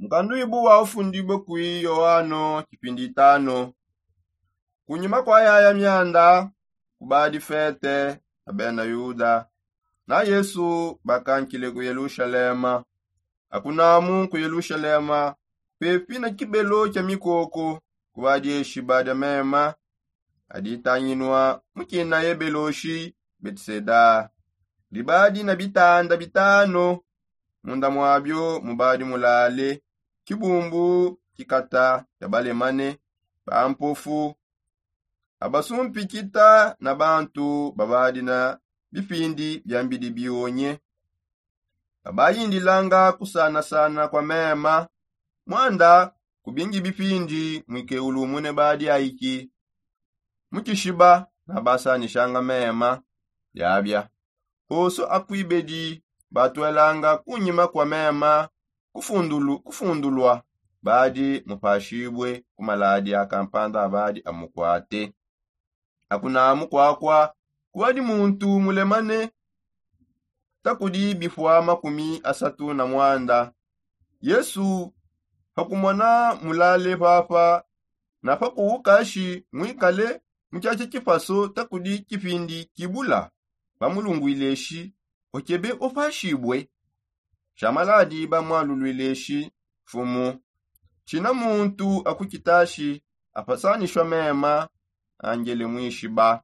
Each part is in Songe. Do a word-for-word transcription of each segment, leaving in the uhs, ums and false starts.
Nkanduibu wa ufundibue kui yohano kipindi itano. Kunyima kua yaya mianda, kubadi fete ya bena yuda, na yesu bakankile ku yelushalema. Akunamu ku yelushalema, pepi na kibelo kia mikoko, kubadi eshiba dia mema, aditanginua mukina yebeloshi, betiseda. Dibadi na bitanda bitano, munda muabio mubadi mulale, kibumbu kikata kia balemane, bampofu, abasumpikita na bantu babadi na bipindi bia mbidi bionye. Babayindilanga kusanasana kua mema. Muanda kubingi bipindi muikeulumune badi aiki mukishiba, na basanishanga mema. Biabia oso akuibedi batuelanga kunyima kua mema, kufundulu kufundulua, badi mupashibue ku maladi a kampanda abadi amukuate. Akunamu kuakua kuadi muntu mulemane takudi bifua makumi asatu na muanda. Yesu pakumona mulale papa, na pakuukashi muikale mu tshiatshia tshipaso takudi kipindi kibula, bamulunguileshi, okebe opashibue? Shamaladi bamualuluileshi, mfumu, tshina muntu akukitashi apasanishua mema, angele muishiba.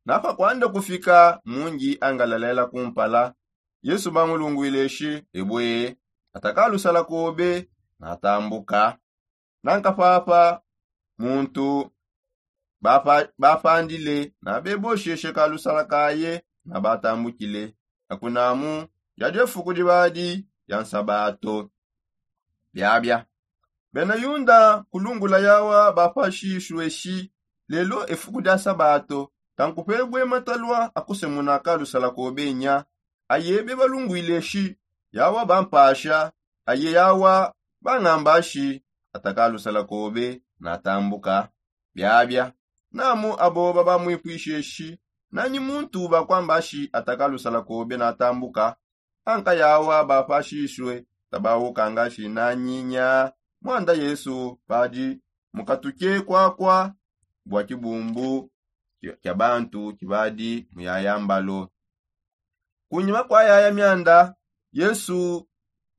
Napakuanda kufika mungi angalalela kumpala, yesu bamulunguileshi, ebue, atakalusala kobe, natambuka. Nanka papa muntu bapandile na bebosheshe kalusala kaye, na batambukile. Akunamu yadi efuku dibadi dia nsabato. Biabia bena yunda kulungula yawa bapashishue shi, lelo efuku dia sabato, tankupebue matalua akusemuna kalusala kobe nya? Aye bebalunguile shi, yawa bampasha, aye yawa bangamba shi, atakalusala kobe, natambuka. Biabia namu abo babamwipwishe shi, nanyi muntu bakwamba shi atakalusala kobe natambuka? Anka yawa bapashishue, tabaukanga shi nanyi nya? Muanda yesu badi mukatuke kuakua bua kibumbu kia bantu kibadi muyayambalo. Kunyima kua yaya mianda, yesu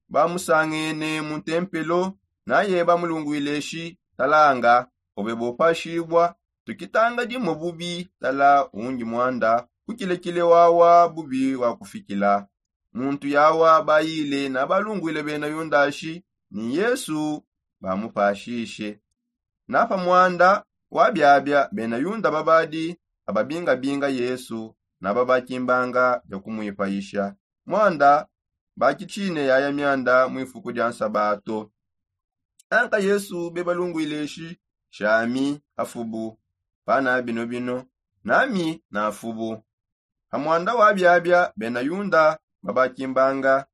bamusangene mu ntempelo, naye bamulunguileshi, talanga, obe bopashibua, tukitanga dimue bubi, tala undi muanda kukilekile wawa bubi wakufikila. Muntu yawa bayile na balunguile bena yundashi, ni yesu bamupashishe. Na pa muanda wa biabia bena yunda babadi ababingabinga yesu, na babakimbanga bia kumuipayisha. Muanda bakitshine yaya mianda mu ifuku dia nsabato. Anka yesu bebalunguileshi, shami afubu, pana bino bino, nami nafubu. Pa muanda wa biabia bena yunda babakimbanga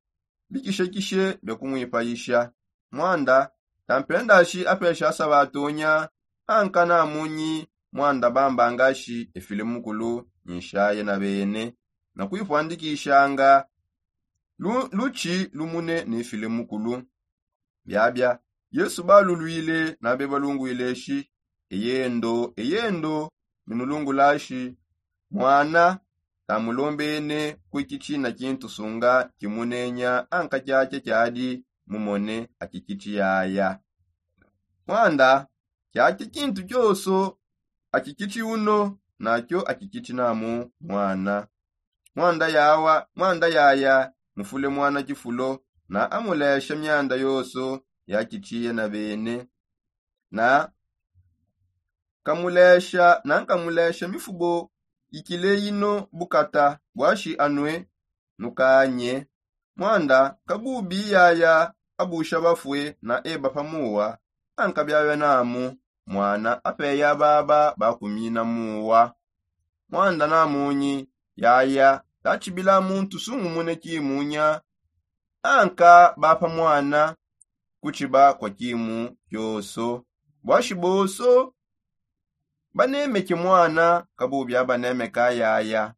bikishekishe bia kumuipayisha. Muanda tampendashi apesha sabatonya, anka namunyi muanda bambangashi efile mukulu nyishaye na bene, na kuipuandikishanga lutshi lumune ne file mukulu. Biabia yesu balulwile na bebalunguileshi, eyendo eyendo, minulungulashi, muana tamulombene kuiki tshina kintu sunga kimunenya anka kiakia kiadi mumone akikitshi yaya. Muanda kiakia kintu kioso akikitshi uno, nakio akikitshi namu muana. Muanda yawa muanda yaya mufule muana kifulo, na amulesha mianda yoso yakitshiye na bene, na kamulesha na nkamulesha mifubo ikile ino bukata bwashi anue nukanye. Muanda kabubi yaya abusha bafue na eba pa muwa, anka biabia namu muana apeya baba bakumina muwa. Muanda namunyi yaya tatshibila muntu sungumune kimunya, anka bapa muana kutshiba kua kimu kioso. Buashi boso banemeke muana kabubi abanemeka yaya.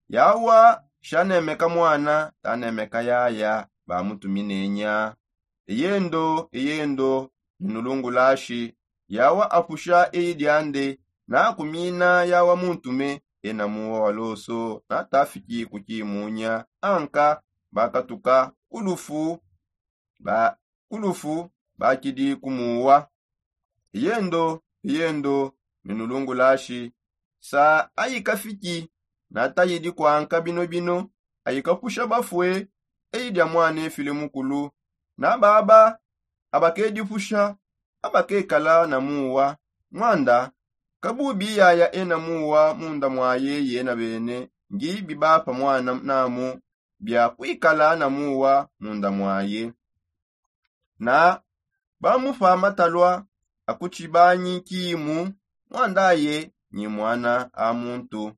Yawa shanemeka muana tanemeka yaya bamutuminenya. Eyendo eyendo, ninulungulashi. Yawa apusha eyi diande, nakumina yawa muntume ena muwa waloso natafiki kukimunya. Anka bakatuka kulufu ba kulufu bakidi kumuwa. Eyendo eyendo, ninulungulashi. Sa ayikafiki natayidi kwanka bino bino, ayikapusha bafue eyi dia mwana efile mukulu. Na baba abakedipusha abakekala na muwa. Mwanda kabubi yaya ena muwa munda mwaye yena bene, ngi bibapa mwana namu bia kwikala na muwa munda mwaye. Na bamupa matalua akutshibanyi kimu. Mwandaye nyi mwana a muntu.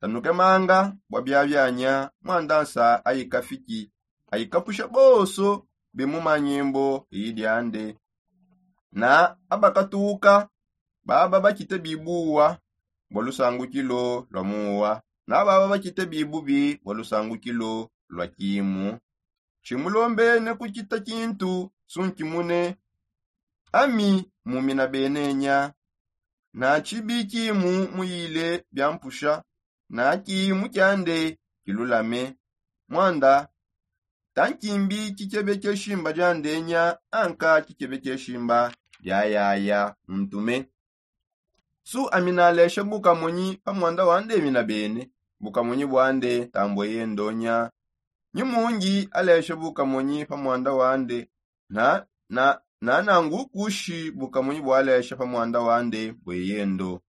Tanukemanga bua biabianya mwandansa ayikafiki ayikapusha bonso bimumanyembo iyi diande. Na abakatuka baba bakite bibuwa bua lusangukilo lua muwa. Na baba bakite bibubi bua lusangukilo lua kimu. Tshimulombene kukita kintu sunkimune. Ami mumina benenya. Na tshibi kimu muyile biampusha. Na kimu kiande kilulame. Mwanda tankimbi kikebe kieshimba diandenya anka kikebe kieshimba diayaya muntume. Su ami nalesha bukamonyi pa mwanda wande mina bene. Bukamonyi bwande tambue yendonya. Nyi mungi alesha bukamonyi pa mwanda wande. Na na nanangu kushi bukamonyi bwalesha pa mwanda wande bwe yendo.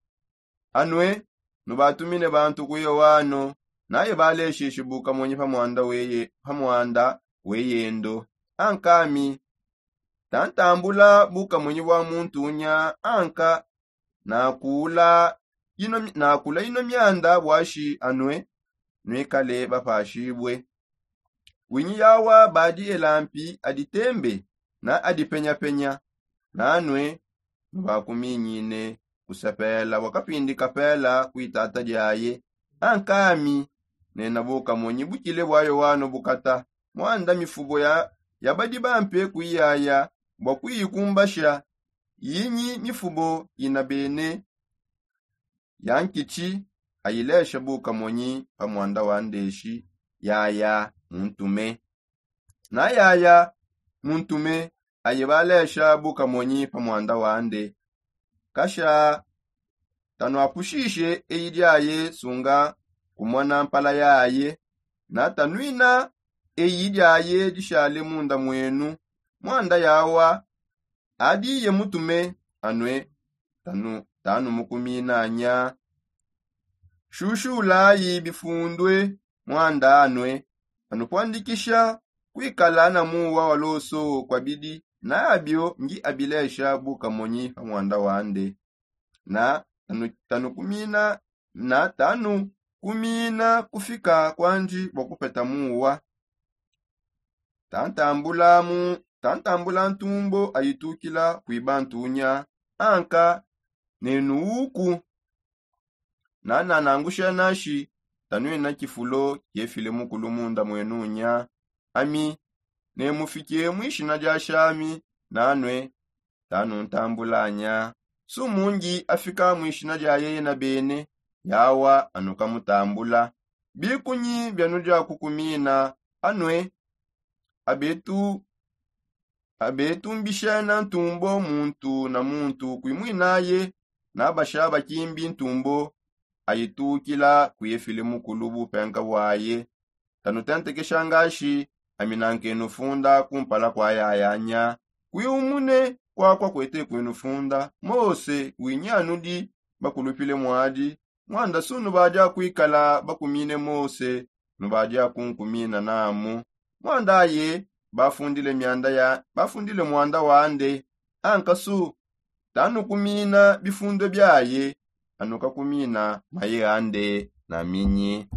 Anue nubatumine bantu ku yoano naye balesheshi bukamonyi pa mwanda weye pa mwanda weyendo. Ankami tantambula bukamonyi bwa muntu unya anka nakula ino mianda bwashi anue nuikale bapashibue. Winyi yawa badi elampi aditembe na adipenyapenya. Nanue nubakuminyine kusepela bua kapindi kapela kuitata diaye. Ankami nena bukamonyi bukile bwa yoano bukata. Mwanda mifubo ya badi bampe kuiyaya bua kuyikumbasha. Yinyi mifubo ina bene ya nkitshi ayilesha bukamonyi pa mwanda wa ndeshi. Yaya muntume. Na yaya muntume aye balesha bukamonyi pa mwanda wande. Kasha tanuapushishe eyi diaye sunga kumona mpala yaye. Na tanuina eyi diaye dishale munda mwenu. Mwanda yawa adiye mutume anue tanu tanumukuminanya. Shushulayi bifundue mwanda anue tanupuandikisha kuikala na muwa wa loso kuabidi. Nabio ngi abilesha bukamonyi pa mwanda wande. Na tanukumina na tanukumina kufika kuandi bua kupeta muwa. Tantambula ntumbo ayitukila kuiba ntunya. Anka nenu uku nananangusha nashi tanuina kifulo kiefile mukulu munda mwenunya. Ami nemufike muishina dia shami nanue tanuntambulanya. Sumungi afika muishina dia yeye na bene yawa anukamutambula. Bikunyi bianudia kukumina anue abetu abetumbishena ntumbo muntu na muntu kuimwinaye. Nabasha bakimbi ntumbo ayitukila kuefile mukulu bupenka bwaye. Tanutentekesha ngashi ami nankenu funda kumpala kua yayanya. Kuiumune kuakua kuete kuenu funda mose winyi anudi bakulupile muadi. Mwanda sunu badia kuikala bakumine mose nubadia kunkumina namu. Mwandaye bafundile mianda ya bafundile mwanda wande. Ankasu tanukumina bifundue biaye anukakumina maye ande na minyi.